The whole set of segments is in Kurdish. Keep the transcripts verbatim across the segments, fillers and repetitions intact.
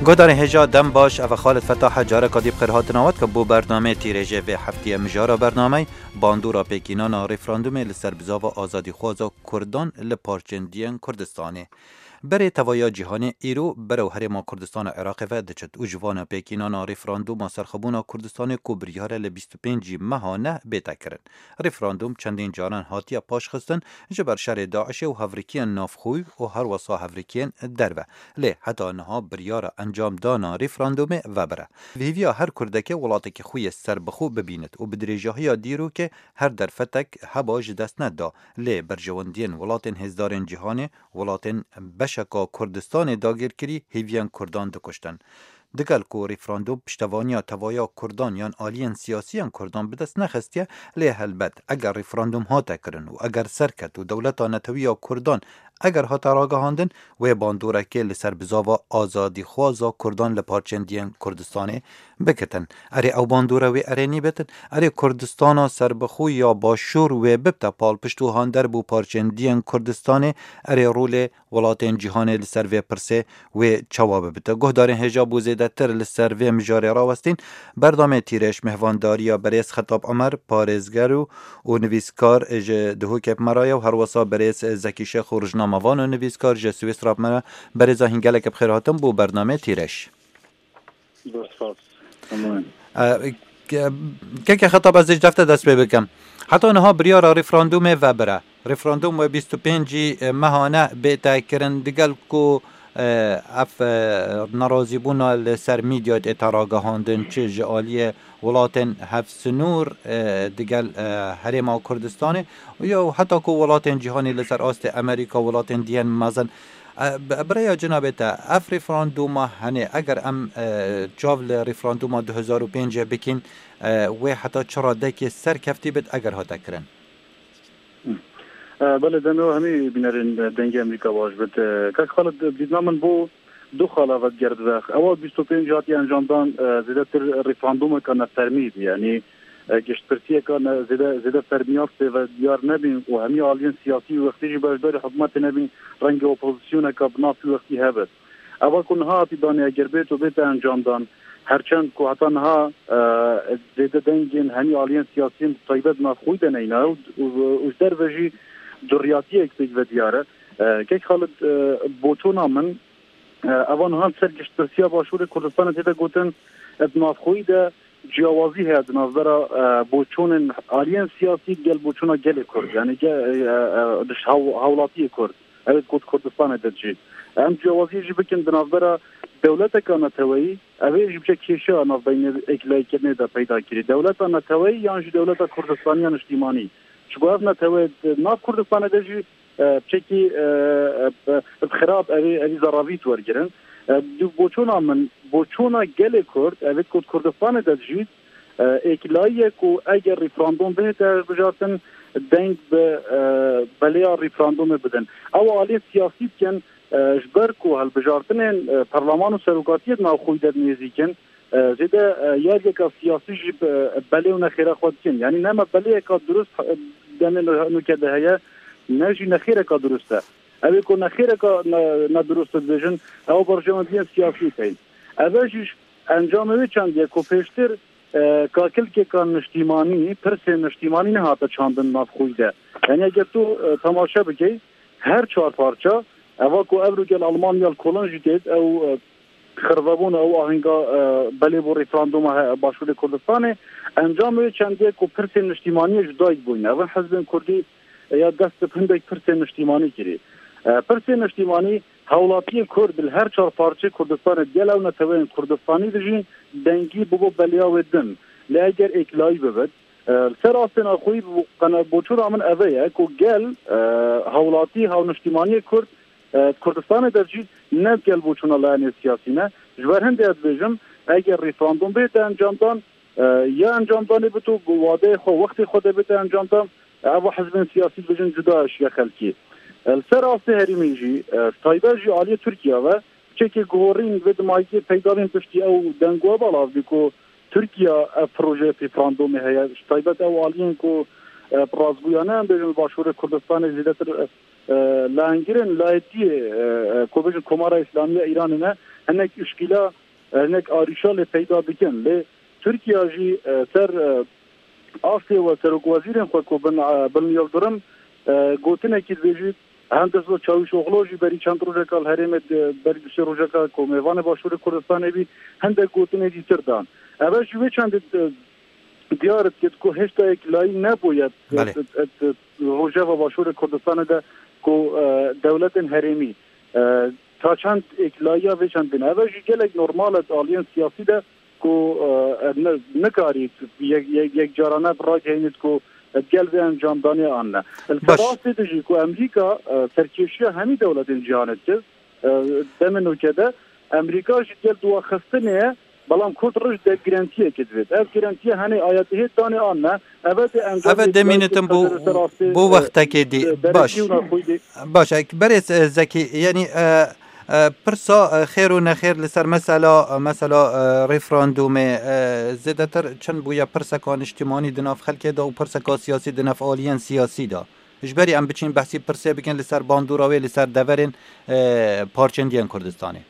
Guhdarên hêja dem baş, ev e Xalid Fetah e, careka dî bi xêr hatina we dikim bo bernameyê tîrêjê vê heftiyê. Mijara bernameyê, bandora pêkînana referandumê li ser bizava azadîxwaza Kurdan li parçên diyên Kurdistanê. Berê tevaya cîhanê îro berew herêma Kurdistana Iraqê ve diçit û ji vana pêkînana referanduma serxwebûna Kurdistanê ku biryar e li bîst û pêncî meha neh bête kirin. Referandum çendîn caran hatiye paşxistin, ji ber şerê DAIŞê û hevrikiyên navxweyî û herwesa hevrikiyên derve. Lê heta niha biryara encamdana referandumê vebire. Hêviya her Kurdekê welatekî xwe yê serbixwe bibînit û bi dirêjahiya dîrokê her derfetek heba ji dest neda. Lê berjewendiyên welatên hêzdarên cîhanê, welatên beşeka Kurdistanê dagîrkirî hêviyên Kurdan dikuştin. Digel ku referandum piştevaniya tevaya Kurdan yan aliyên siyasî yên Kurdan bi dest nexistiye, lê helbet eger referandum hate kirin û eger serket û dewleta netewî ya Kurdan eger hate ragihandin, wê bandorekê li ser bizava azadîxwaza Kurdan li parçên diyên Kurdistanê bikitin. Erê ew bandore wê erênî bitin, erê Kurdistana serbixwe ya Başûr wê bibte palpişt û hander bo parçên diyên Kurdistanê, erê rolê welatên cîhanê li ser vê pirsê wê çawa bibite. Guhdarên hêja bo zêdetir li ser vê mijarê rawestîn, berdamê tîrêj mêhvandariya berêz Xetab Emer, parêzger û, û nivîskar ji Duhokê bi me re ye û herwesa berêz Zekî Şêx û rojnamevan û nivîskar ji Swîsra bi me re. Berêza hîn gelek bi xêr hatin bo bernameyê tîrêj. Zor spas. Tamam. E, ke-, keke Xetab, ez ê ji defte dest pê bikim. Heta niha biryara referandumê vebire. Referandum wê bîst û pêncî meha neh bête kirin, digel ku, e, ev, e, nerazîbûna li ser mîdya tête ragihandin, çi ji aliyê welatên hevsinûr, e, digel, e, Herêma Kurdistanê, ya heta ku welatên cîhanê li ser astê Amerîka, welatên diyên mezin. E, bi-, bi rêya cenabê te, ev referanduma henê, eger em, e, çav li referanduma du hezar û pêncê bikîn, e, wê heta çi radekê serkeftî bit eger hate kirin? E, belê, demê we hemî bînerên Dengê Amerîka baş bit. E, kak Xalid, dîtina min bo du xala ve digerdibe. Ewa bîst û pênc hatiye encamdan, e, zêdetir referandumeke nefermî bî. Yanî, e, giştpirsiyeke ne, zêde, zêde fermiyar tê ve diyar nebîn û hemî aliyên siyasî wî wextî jî beşdarî hikûmetê nebîn, rengê opozisyoneke bi nav wî wextî hebit. Eva ku niha hatî danê, eger bêt û bête encamdan, herçend ku heta niha, e, zêde dengên hemî aliyên siyasî yên taybet navxweyî de neyna û, û, û ji derve jî duriyatiyek pêk ve diyar e. E, kek Xalid, e, boçûna min, e, eva niha li ser giştpirsiya Başûrê Kurdistanê tê de gotin, e, di navxweyî de ciyawazî heye di navbera, e, boçûnên aliyên siyasî gel boçûna gelê Kurd, yanî ge-, e, e, e, di hew-, hewlatiyê Kurd. Ew ê ku di Kurdistanê de jî. Em ciyawaziyê jî bikin di navbera dewleteka neteweyî, ev ê jî biçe kêşeya navbeynê êkîlayîkirinê de peyda kirî. Dewleta neteweyî yan jî dewleta Kurdistaniya niştîmanî. Çiku ev netewe di nav Kurdistanê de jî, e, piçekî, e, e, e, xirab, ev ê, ev ê zeravî wergirin. E, di boçûna min, boçûna gelê Kurd, ev ê ku di Kurdistanê de jî, e, êkîlayî ye ku eger referandum bihête hilbijartin, deng bi, e, beleya referandumê bidin. Ew aliyê siyasî dikin, e, ji ber ku hilbijartinên, e, perleman û serokatiyê di navxweyî de nêzîk in, e, zêde, e, yargeka siyasî jî bi, e, belê û nexêra xwe dikin. Yanî ne me belêyeka durust, e, demê nû-, nûke de heye, ne jî nexêreka durust e. Ew ê ku nexêreka ne, nedurust dibêjin, ew berjewendiyên siyasî teyîn. Ev e jî encamê wê çendî ye ku pêştir, e, kakilkêka niştîmanî, pirsên niştîmanî nehate çandin navxweyî de. Yanî eger tu, e, temaşe bikey, her çar parça, eva ku evro gel Almanya li kolon jî têt, ew, e, xirvebûn, ew ahenga, e, belê bo referanduma he-, Başûrê Kurdistanê, encamê wê çendê ku pirsên niştîmaniyê ji dayik bûyne. Ev in hizbên Kurdî, e, ya dest bi hindek pirsên niştîmanî kirî. E, pirsên niştîmanî, hewlatiyê Kurd li her çar parçeyê Kurdistanê digel ew neteweyên Kurdistanî dijîn, dengî bibo beleya wê din. Lê eger êklayî bibit, e, li ser astê navxweyî bo-, qene-, boçûna min eve ye ku gel, e, hewlatî, hawniştîmaniyê Kurd, e, Kurdistanê de jî ne gel boçûna layenê siyasî ne. Ji ber hindê ez dibêjim, eger referandum bête encamdan, e, ya encamdanê bito, bi wadeyê xwe, wextê xwe de bête encamdan, ev hizbên siyasî dibêjin cuda eşiya xelkê. E, li ser astê herêmê jî, e, taybet jî aliyê Tirkiye ve, çekê guhorîn vê dimayikê peyda bên piştî ew deng û heval avdî ku Tirkiye ev projeyê referandumê heye, ji taybet ew aliyên ku, e, bi rastgoyane em bêjin li Başûrê Kurdistanê zêdetir, e, e, layengirin, layetiyê, e, e, ku bêjin Komara Îslamî ya Îranê ne, hinek uşkîla, e, hinek arîşa lê peyda dikin. Lê Tirkiye jî, e, ser, e, astê we serokwezîrên xwe ku bin, e, bin Yildirim, e, gotinekî dibêjî, Hende Çavuşoglu jî berî çend rojeka li herêmê, e, berî du sê rojeka ku mêvanê Başûrê Kurdistanê bî, hindek gotinê dîtir dan. Ev jî wê çendê, e, diyar dikit ku hêşta yeklayî nebûye, Belê. e, e, e, rojeva Başûrê Kurdistanê de ku, e, dewletên herêmî, e, ta çend êkilaiya vê çend bin. Ev jî gelek normal e di aliyên siyasî de ku, e, ne, nikarî yek, yek, yek carane bi ragihînit ku, e, gel vê encamdanê an ne. Li ser Baş. Rastê de jî ku Amerîka, e, serkêşiya hemî dewletên cîhanê dikir, e, demê nûke de Amerîka jî gel duwaxistinê ye, belam Kurd roj de girentiyekê divêt. Ev girentiye henê aya dihê danê an ne. Eve de encam Eve demînitin bo, bo wextekê dî. Baş. Baş, e, berêz, e, Zekî, yanî, e, e, pirsa, e, xêr û nexêr li ser mesela, e, mesela, e, referandumê, e, zêdetir çend bûye pirseka niştimanî di nav xelkê de û pirseka siyasî di nav aliyên siyasî de. Ji berî em biçîn behsî pirsê bikin li ser bandora wê li ser deverên, e, parçendiyên Kurdistanê.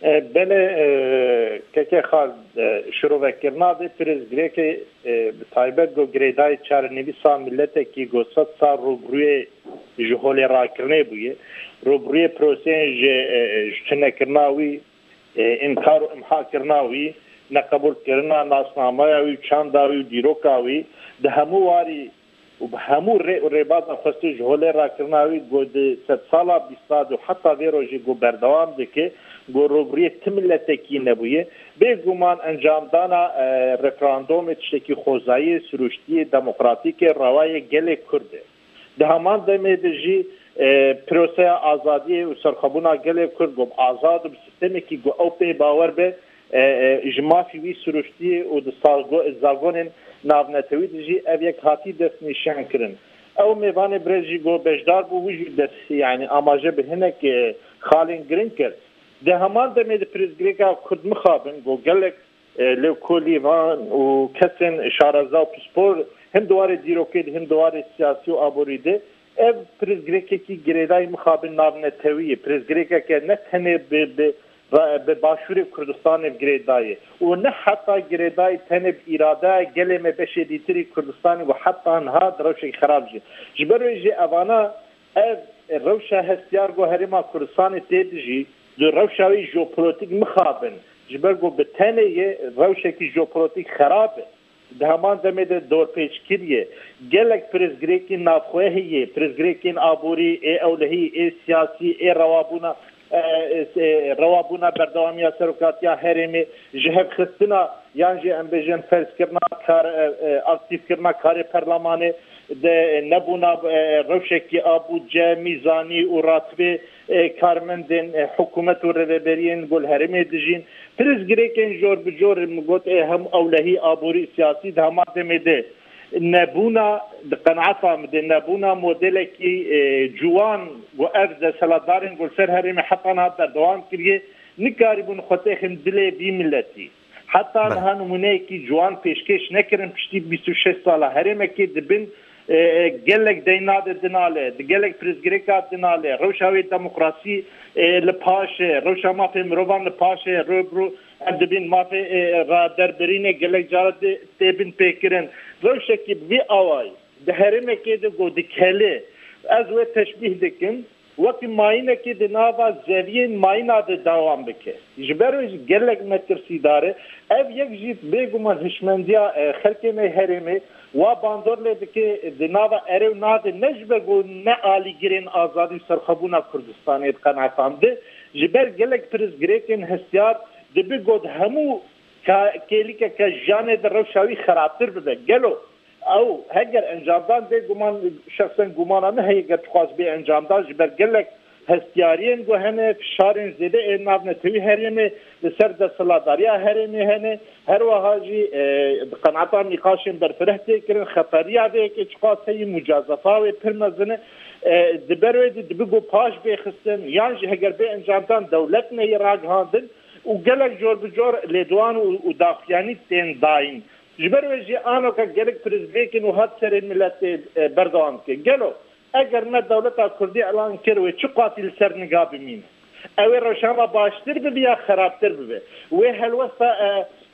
E, belê, e, kekê Xal, e, şirovekirina vê pirsgirêkê, e, bi taybet ku girêdayî çarenivîsa miletekî ku sed sal rûbirûyê ji holê rakirinê bûye, rûbirûyê proseyên ji, e, e, ji tunekirina wî, e, înkar û imhakirina wî, neqebûlkirina nasnameya wî û çanda wî û dîroka wî, di hemû warî û bi hemû rê û rêbaza xwestê ji holê rakirina wî ku di sedsala bîstad û heta vê rojê ku berdewam dike, ku rûbirûyê ti miletekî nebûye. Bêguman encamdana, e, referandumê tiştekî xwezayî, sirûştiyê, demokratîk e, rewayê gelê Kurd e. Di heman demê de jî, e, proseya azadiyê û serxwebûna gelê Kurd ku bi azad û bi sîstemekî ku ew pê bawer be, e, e, ji mafî wî sirûştiyê û di salgo-, zagonên navnetewî de jî ev yek hatî destnîşankirin. Ew mêvanê birêz jî ku beşdar bû, wî jî dest, yanî amaje bi hinek, e, xalên giring kir. Di heman demê de pirsgirêka Kurd mixabin ku gelek, e, lêkolî van û kesên şareza û pispor him di warê dîrokê de him di warê siyasî û aborî de ev pirsgirêkekî girêdayî mixabin navnetewî ye. Pirsgirêkeke ne tenê bi, bi, bi Başûrê Kurdistanê girêdayî û ne heta girêdayî tenê bi îradeya gelê me beşê dîtirî Kurdistanê û heta niha di rewşekî xerab jî. Ji ber wê jî evana ev rewşa hestiyar ku Herêma Kurdistanê tê de jî di rewşa wê jeopolitîk mixabin. Ji ber ku bi tenê ye rewşekî jeopolitîk xerab e. Di heman demê de dorpêçkirî ye. Gelek pirsgirêkên navxweyî heye, pirsgirêkên aborî, ê ewlehî, ê siyasî, ê rewabûna, e, e, e, rewabûna berdewamiya serokatiya herêmê, ji hevxistina yan jî em bêjin ferzkirina kar, e, e, aktîfkirina karê perlemanê, de nebûna, e, rewşekî a budce, mîzanî û ratibê, e, karmendên, e, hikûmet û rêveberiyên ku li herêmê dijîn. Pirsgirêkên jor bi jor min got, ê hem ewlehî, aborî, siyasî di heman demê de nebûna, di qenaeta min de nebûna modelekî, e, ciwan ku ev desthilatdarên ku li ser herêmê heta niha berdewam kiriye, nikarîbûn xwe têxin dilê vî miletî. Heta Belê. niha nimûneyekî ciwan pêşkêş nekirin piştî bîst û şeş sala herêmekê dibin, e, e, gelek deyna de dinale, di gelek pirsgirêka dinale, rewşa wê demokrasî, e, li paş e, rewşa mafê mirovan li paş e, rû bi rû em dibin mafê, e, raderbirînê gelek cara de tê bin pêkirin. Rewşekî bi vî awayî di herêmekê de ku dikele, ez wê teşbîh dikim, wekî mayînekê di nava zeviyên mayîna de dewam bike. Ji ber wê jî gelek metirsîdar e. Ev yek jî bêguman hişmendiya, e, xelkê me herêmê wa bandor lê dike, di nava erê û na de ne ji ber ku ne alîgirên azadî û serxwebûna Kurdistanê di qenaeta min de, ji ber gelek pirsgirêkên hestiyar dibe ku di hemû ka-, kêlîkeke jiyanê de rewşa wî xerabtir bibe. Gelo Ew heger encamdan bê guman, şexsen gumana min heye, ger dixwaz bê encamdan, ji ber gelek hestiyariyên ku hene, fişarên zêde ên navnetewî herêmê li ser desthilatdariya herêmê hene, her wiha jî, e, di qenaeta nîqaşên berfireh tê kirin, xetariya vê yekê çiqas heye, mucazefa wê pir mezin e. E, di ber wê de dibe ku paş bê xistin, yan jî heger bê encamdan dewlet neyê ragihandin û gelek cor bi cor lêdowan û, û daxuyanî tên dayîn. Ji ber wê jî anoka gelek pirsgirêkên wiha di serê miletê, e, berdewam dike. Gelo eger me dewleta Kurdî elan kir, wê çi qasî li ser niga bimîne? Ew ê rojnama baştir bibe ya xerabtir bibe. Wê helwesta, e,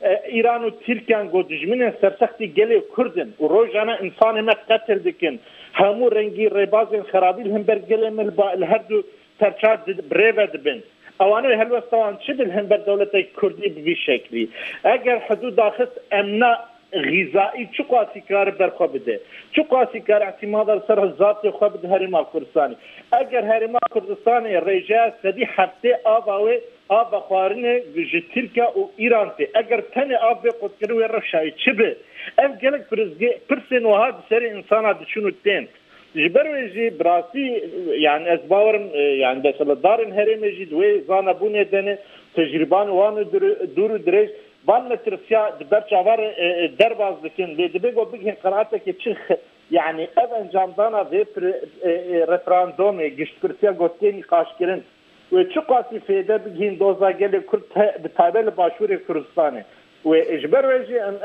e, Îran û Tirkiyan ku dijminên sersextî gelê Kurd in û rojane insanê me qetil dikin, hemû rengî rêbazên xerabî li hember gelê me li ba-, li her du serçar di-, bi rê ve dibin. Ewanê helwesta wan çi di li hember dewletê Kurdî bi vî şeklî? Eger hidûd daxist emna xîzaî çi qasî kare berxwe bide? Çi qasî kare îtimada li ser zatê xwe bide Herêma Kurdistanê? Eger Herêma Kurdistanê rêjeya sedî heftê ava wê, ava xwarinê ji Tirkiye û Îran tê, eger tenê av bê qutkirin wê rewşayê çi bi? Ev gelek pirsgê-, pirsên wiha di serê insana diçin û tên. Ji ber wê jî bi rastî, yani ez bawerim, e, yani desthilatdarên herêmê jî di wê zanebûnê de ne, tecrîban wan û dir-, dûr û dirêj, van metirsiya di ber çavan re, e, e, derbas dikin. Lê dibe ku bigihên qenaeteke çi xe-, yani ev encamdana vê pre-, e, e, referandumê, giştpirsiya ku tê nîqaşkirin, wê çi qasî fêde bigihîn doza gelê Kurd te-, bi taybet li Başûrê Kurdistanê. Wê ji ber wê jî em,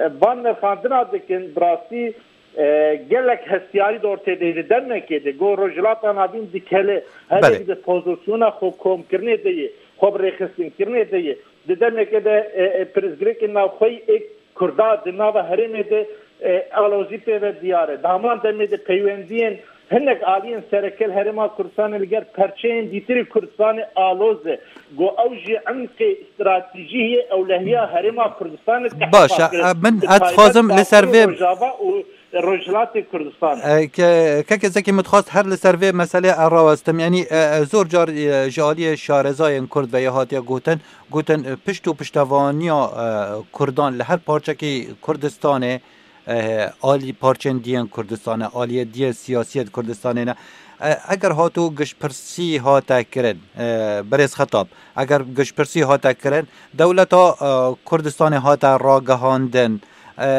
em van nirxandina dikin, bi rastî, e, gelek hestiyarî di ortê de ye. Di demekê de ku Rojhilata Navîn dikele, Belê. Herêmî di pozisyona xwe komkirinê de ye, xwe bi rêxistinkirinê de ye. Di demekê de, e, e, pirsgirêkên navxweyî ê Kurda di nava herêmê de, e, alozî pê ve diyar e. Di heman demê de peywendiyên hinek aliyên sereke li Herêma Kurdistanê li gel perçeyên dîtirî Kurdistanê aloz e. Ku ew jî emqê stratejî ye, ewlehiya Herêma Kurdistanê Baş e, tehdît e, min, ez dixwazim li ser vê Rojava û Rojhilatê Kurdistanê. E, ke-, kekê Zekî, min dixwast her li ser vê meselê erawestim. Yanî, e, e, zor car, e, ji aliyê şarezayên Kurd ve ya hatiye gotin, gotin, e, pişt û piştevaniya, e, Kurdan li her parçekî Kurdistanê, e, alî parçên diyên Kurdistanê, aliyê diyê siyasiyê di Kurdistanê ne. E, eger hato giştpirsî hate kirin, e, berêz Xetab, eger giştpirsî hate kirin, dewleta, e, Kurdistanê hate ragihandin, e,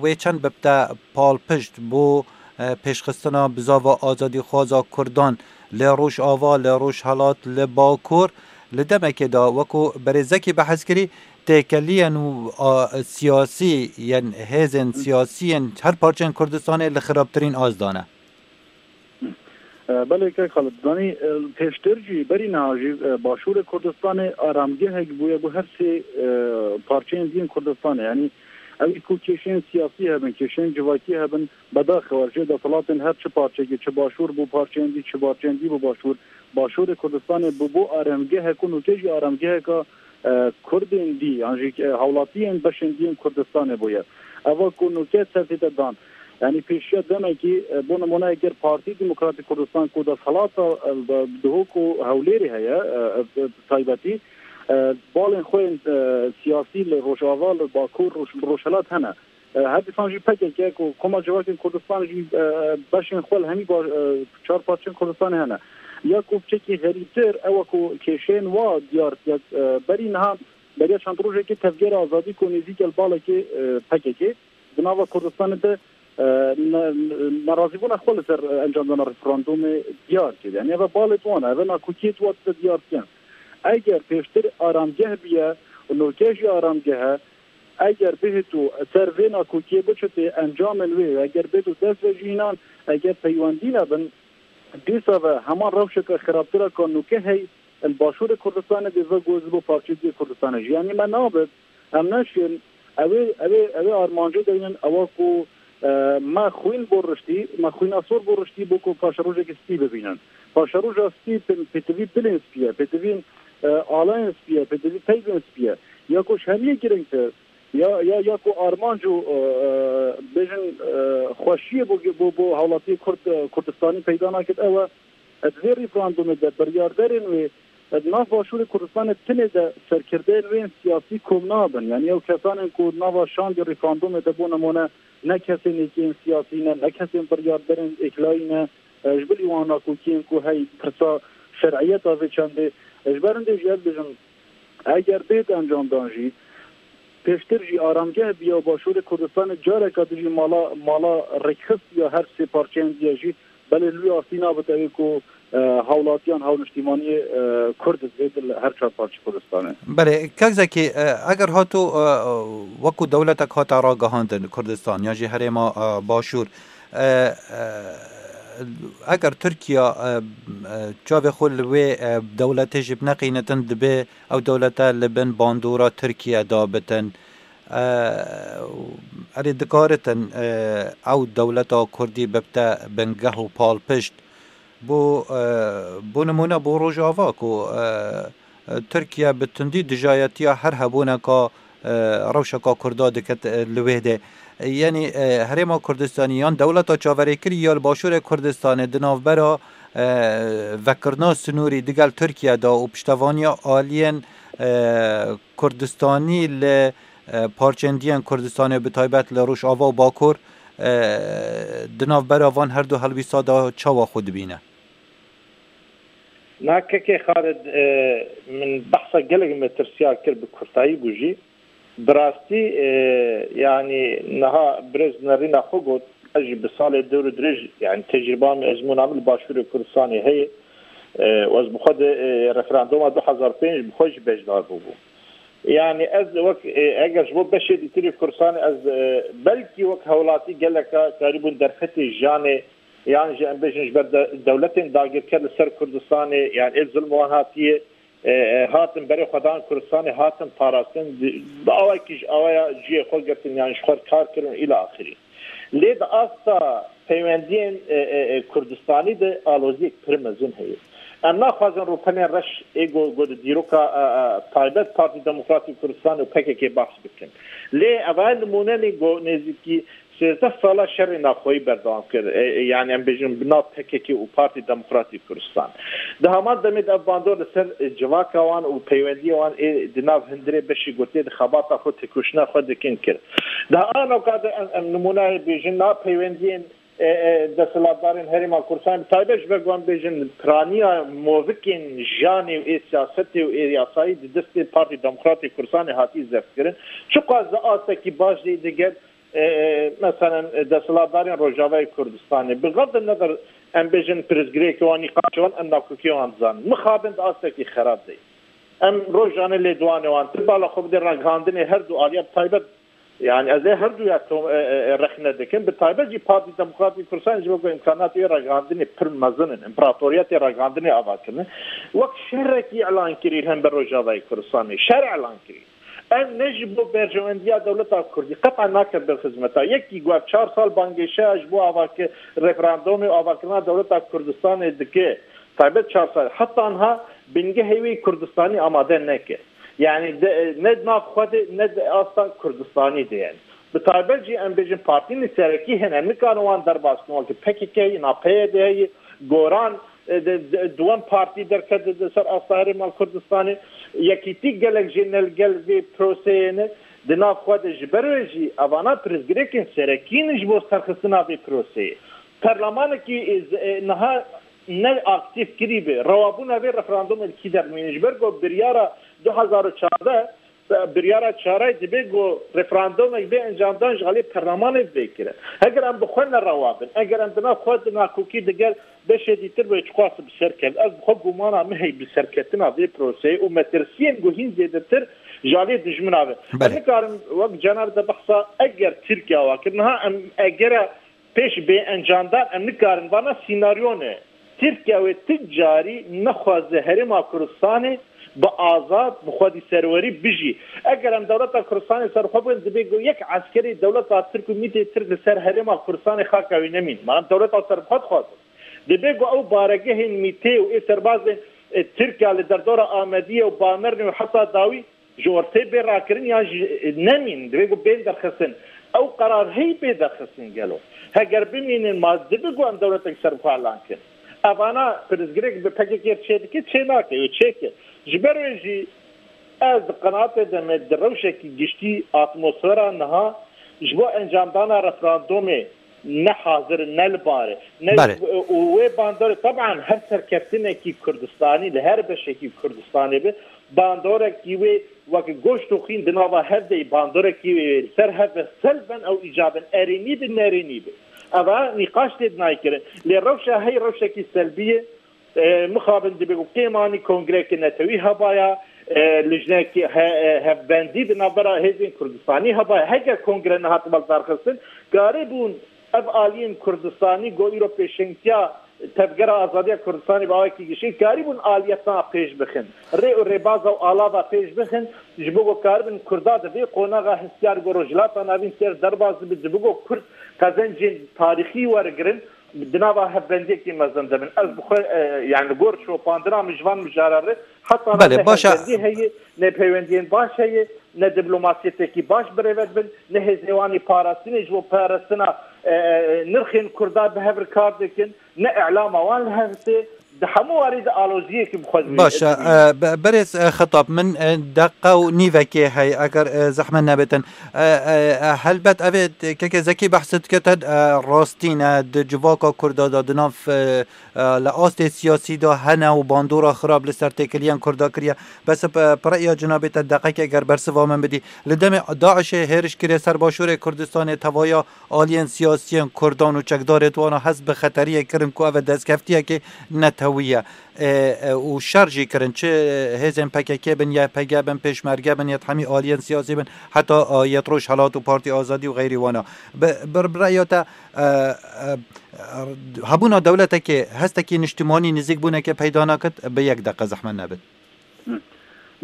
wê çend bibte palpişt bo, e, pêşxistina bizava azadîxwaza Kurdan li Rojava, li Rojhelat, li Bakur, li demekê de wekû berêz Zekî behs kirî, têkeliyên û, a, siyasî yên hêzên siyasî yên her parçeyên Kurdistanê li xirabtirîn az de ne. E, belê kek Xalid, zanî, e, pêştir jî, berî niha jî, e, Başûrê Kurdistanê aramgehek bûye bo her sê, e, parçeyên diyên Kurdistanê. Yanî ew ê ku kêşeyên siyasî hebin, kêşeyên civakî hebin, bedaxewer jê desthilatên her çi parçekê, çi Başûr bû parçeyên dî, çi parçeyên dî bû Başûr, Başûrê Kurdistanê bû, bû aramgehek û nûke jî aramgeheka, e, Kurdên dî, yan jî, e, hawlatiyên beşên diyên Kurdistanê bûye. Eva ku nûke ser tête dan. Yanî pêşiya demekî, e, bo nimûne eger Partî Demokratîk Kurdistan ku desthilata, e, di Duhok û Hewlêrê heye, e, e, bi taybetî, e, balên xwe yên, e, siyasî li Rojava, li Bakur, Roj-, Rojhilat hene. E, her dîsan jî P K K ku Koma Civakên Kurdistan jî, e, beşên xwe li hemî ba-, e, çar parçeyên Kurdistanê hene. Ya ku piçekî xerîbtir, ew e ku kêşeyên wa diyar diket, e, berî niha, beriya çend rojekê Tevgera Azadî ku nêzîk e li balekê, e, P K K, di nava Kurdistanê de, e, ne-, nerazîbûna xwe li ser, e, encamdana referandumê diyar kir. Yanî ev e balê wan e, ev e nakokiyê wan tê diyar dikin. Eger pêştir aramgeh biye û nûke jî aramgeh e, eger bihêt û ser vê nakokiyê biçitê encamên wê, eger bêt û dest ve jî înan, eger peywendî nebin, dîsa ve heman rewşeke xirabtir e ka nûke hey li Başûrê Kurdistanê dê ve goz bo parçeyê diyê Kurdistanê jî. Yanî me nabit, em neşên, ew ê, ew ê, ew ê armancê deynin, ewa ku, e, me xwîn bo riştî, me xwîna sor bo riştî bo ku paşerojekî spî bibînin. Paşeroja spî pê-, pêtivî dilên spî ye, pêtivî, e, alayên spî ye, pêtivî peyvên spî ye. Ya ku ji hemiyê girîngtir, ya, ya, ya ku armanc û, e, e, bêjin, e, xweşiyê bo, bo, bo hawlatiyê Kurd, e, Kurdistanî peyda nakit, ew e, di vê referandumê de biryarderên wê, e, di nav Başûrê Kurdistanê tinê de serkirdeyên wê yên siyasî kom nabin. Yanî ew kesanên ku nava şandê referandumê de bo nimûne ne kesên yekê yên siyasî ne, ne kesên biryarderên êklayî ne, e, ji bilî wan nakokiyên ku hey pirsa şer'iyeta vê çendê, e, ji ber hindê jî ez bêjim, eger bêt encamdan jî, pêştir jî aramgeh biya Başûrê Kurdistanê careka dijî mala, mala rêkxistiya her sê parçeyên diye jî, belê li wî astî nabit ew ê ku, e, hawlatiyan hawniştîmaniyê, e, Kurd bêt li her çar parçeyê Kurdistanê. Belê, kek Zekî, e, eger hato, e, wekû dewletek hate ragihandin Kurdistan, yan jî herêma, e, Başûr, e, e, Eger Tirkiye, e, e, çavê xwe li wê, e, dewletê jî bineqînitin, dibe ew dewlete li bin bandora Tirkiye de bitin. E, erê dikaritin, e, ew dewleta Kurdî bibte bingeh û palpişt. Bo, e, bo nimûne bo Rojava ku, e, Tirkiye bi tundî dijayetiya her hebûneka, e, rewşeka Kurda diket, e, li wê de. E, yanî, e, Herêma Kurdistanî yan dewleta çaverêkirî ya li Başûrê Kurdistanê di navbera, e, vekirina sinûrî digel Tirkiye de û piştevaniya aliyên, e, Kurdistanî li, e, parçendiyên Kurdistanê bi taybet li Rojava û Bakur, e, di navbera van her du helwîsta de çawa xwe dibîne? Na kekê Xalid, e, min behsa gelek metirsiyar kir, bi kurtayî bû jî. Bi rastî, e, yanî niha birêz nerîna xwe got, ez jî bi salê dewr û dirêj, yanî tecrîba min, ezmûna min li Başûrê Kurdistanê heye. E, û ez bi xwe de, e, referanduma du hezar pênc bi xwe jî beşdar bûbûm. Yanî ez wek, e, eger ji bo beşê dîtirî Kurdistanê ez, e, belkî wek hewlatî geleka karîbûn derfetê jiyanê yan jî em bêjin ji ber de-, dewletên dagirker li ser Kurdistanê, yan ê zilm wan hatiye, e, e, hatin berê xwe dan Kurdistanê, hatin parastin, di-, bi awayekî ji awaya cihê xwe girtin, yan ji xwe kar kirin û îla axirî. Lê di asta peywendiyên, e, e, e, Kurdistanî de aloziyek pir mezin heye. Em naxwazin rûpelên reş ê go-, go di dîroka, e, e, taybet Partî Demokratîk Kurdistan û P K K bahs bikin. Lê eva nimûne ne go nêzîkî sêzdeh sala şerê navxweyî berdewam kir. E, e, yanî em bêjin bi nav P K K û Partî Demokratîk Kurdistan. Di heman demê de ev bandor li ser, e, civaka wan û peywendiyê wan ê di nav hundirê beşî gotiye di xebata xwe têkoşîna xwe dikin kir. Di ana ka de em, em nimûneyê bêjin nav peywendiyên, e, e, desthilatdarên Herêma Kurdistanê, bi taybet ji ber ku em bêjin piraniya movikên jiyanê û ê siyasetê û ê yasayî di destê Partî Demokratîk Kurdistanê hatî zeft kirin. Çiqas di astekî baş de digel e, e, meselen, e, desthilatdarên Rojavayê Kurdistanê, bi xev de nedir, em bêjin pirsgirêkê wan, nîqaşê wan, em nakokê wan dizanin. Mixabin di astekî xerab de ye. Em rojane lêdwanê wan, tu bala xwe bidê ragihandinê her du aliya bi taybet, yani ez ê her duya tom-, e, e, e, rexne dikim. Bi taybet jî Partî Demokratîk Kurdistanê ji bo ku îmkanatê wê ragihandinê pir mezin in, împaratoriyetê ragihandinê ava kirine. Wek şerekî elan kirî li hember Rojavayê Kurdistanê. Şer elan kirî. Ev ne ji bo berjewendiya dewleta Kurdî qet'a nake ber xizmeta. Yekî ku ev çar sal bangêşeya ji bo avaki-, referandumê û avakirina dewleta Kurdistanê dike, taybet çar sal, heta niha bingehê wê Kurdistanî amade neke. Yani de, ne di nav xwe de, ne di asta Kurdistanî de yani. Bi taybet jî em bêjin partiyên serekî hene, em nikarin wan derbas bikin, wekî P K K, na P Y D heye, Goran, e, de, de, duwem partî derket di, di ser asta Herêma Kurdistanê. Yekîtî gelek jê ne li gel vê proseyê ne. Di nav xwe de ji ber wê jî evana pirsgirêkên serekî ne ji bo serxistina vê proseyê. Perlemanekî, e, z-, e, niha ne aktîf kirî be. Rewabûna vê referandumê li kî dermîne? Ji ber ku biryara du hezar û çardeh, biryara çarayê dibe ku referandumek bê encamdan ji alî perlemanê bê kirin. Heger em bi xwe nerewa bin, eger em di nav xwe di nakokî digel beşê dîtir be, çiqas bi ser ket. Ez bi xwe gumana min heye bi serketina vê proseyê û metirsiyên ku hîn zêdetir ji alî dijmina ve. Belê. Em nikarin wek cenab de behsa eger Tirkiye wa kir. Niha em egera pêş bê encamdan em nikarin. Vana sînaryo ne. Tirkiye wê ti carî nexwaze Herêma Kurdistanê bi azad, bi xwedî serwerî bijî. Eger em dewleta Kurdistanê serxwe bûn, dibê ku yek eskerê dewleta Tirk û mîtê Tirk li ser Herêma Kurdistanê xaka wî nemîn. Mana dewleta serxwe dixwazin. Dibê ku ew baregehên mîtê û ê serbazên, e, Tirkiye li derdora Amediyê û Bamernê û heta dawî ji ortê bê rakirin yan jî nemîn, divê ku bên derxistin. Ew qerar heyî bê derxistin gelo? Heger bimînin, ma dibe ku em dewletek serxwe elan kin. Evana pirsgirêk bi P K K çê dike, çê nake, û çê kir. Ji ber wê jî ez di qenaatê de me di rewşekî giştî atmosfera niha ji bo encamdana referandumê ne hazir in, ne li bar e. Ne Belê. Û wê bandorê, teban her serkeftinekî Kurdistanî, li her beşekî Kurdistanê be, bandorekî wê weke goşt û xîn di nava hev de, bandorekî wê li ser hev be, selben ew îcabin, erênî bi, nerênî bi. Eva nîqaş tê dinayê kirin. Lê rewşa hey rewşekî selbî ye. E, mixabin dibe ku kêmanî kongreyeke netewî hebaya, e, lijnekî he-, e, hevbendî di navbera hêzên Kurdistanî hebaya. Heger kongre nehat baldarxistin, karîbûn Ev aliyên Kurdistanî ku îro pêşengtiya Tevgera Azadiya Kurdistanê bi awekî giştî karîbûn aliyetna pêş bixin. Rê û rêbaza û alava pêş bixin, ji bo ku karibin Kurda di vê qonaxa hestiyar ku Rojhilata Navîn têr derbas dibe, ji bo ku Kurd qezencên tarîxî wergirin, di nava hevbendiyekî mezin de bin. Ez bi xwe, e, yani li gor şopandina min ji van mijara re heta Belê, ne baş e. Hevbendî heye, ne peywendiyên baş heye, ne diplomasiyeteke baş bi rê ve dibin, ne hêzê wan ê parastinê ji bo parastina, e, e, nirxên Kurda bi hev re kar dikin, ne îlama wan li hev tê. Di hemû warî de aloziyekî bi xwe Baş e, dibîne. E, be-, berêz, e, Xetab, min, e, deqa û nîvekê heye, eger, e, zehmet nebitin. E, e, e, helbet ev ê t-, keke Zekî behs dike te, e, rastî ne, di civaka Kurda de, di nav, e, e, li astê siyasî de hene û bandora xirab li ser têkiliyên Kurda kiriye. Bes, e, bi rêya cinabê te deqekê eger bersiva min bidî. Li demê DAIŞê hêriş kiriye ser başûrê Kurdistanê, tevaya aliyên siyasiyên Kurdan û çekdarê wana hest bi xeteriyê kirin ku ev e destkeftiyekê netewî ye. E, e, û şer jî kirin, çi hêzên P K K bin, Y P G bin, Pêşmerge bin, yet hemî aliyên siyasî bin, heta, e, yet Rojhelat û Partî Azadî û xeyrî wana. Bi, bi, bi rêya te, e, e, hebûna dewletekê, hestekî niştimanî nizîkbûneke peyda nakit, bi yek deqe zehmet nebit.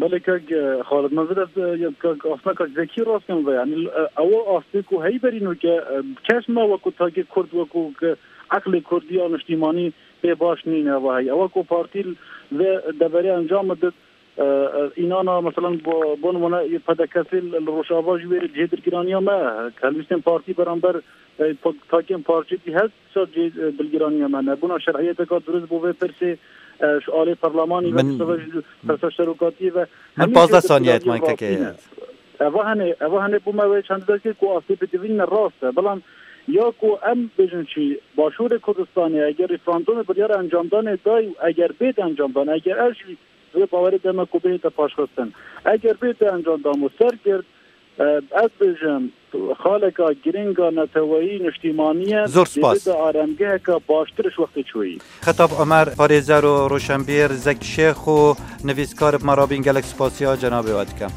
Belê kak, e, Xalid, min vê de, e, kak, aslında kak Zekî rast kir ve, yani, e, ew astê ku heyberî nûke, e, kes me wekû takê Kurd, wekû ke eqlê Kurd ya niştimanî pê baş nîne ve hey. Ewa ku partî ve deverê encam did, e, e, înana, mesela, bo, bo nimûne, P D K S li, li Rojava jî wê cihê dilgiraniya me, helwîstên partî beramber, e, pa-, takên parçetî her Sa cê, e, dilgiraniya me nebûna şer'iyeteka durist bo vê pirsê, e, ji alê perlemanî ve Min, seve ji persa serokatiyê ve min hemî pazdeh jê saniyet dilgiraniya man keke. Rastî ne. Eva hene, eva hene bû me wê çend dekê ku astê bidivîne rast e. Belam ya ku em bêjin çi Başûrê Kurdistanê eger referandumê biryara encamdanê day û eger bête encamdan, eger ev jî vê bawerê deme ku bête paşxistin. Eger bête encamdan û sergirt, e, ez bêjim, xaleka giringa neteweyî niştîmanî ye, Zor spas. Dê bide aremgeheka baştir ji wextê çûyî. Xetab Omer, parêzer û roşenbîr, Zek Şêx û nivîskar bi me rabîn gelek spasiya cenabê we dikim.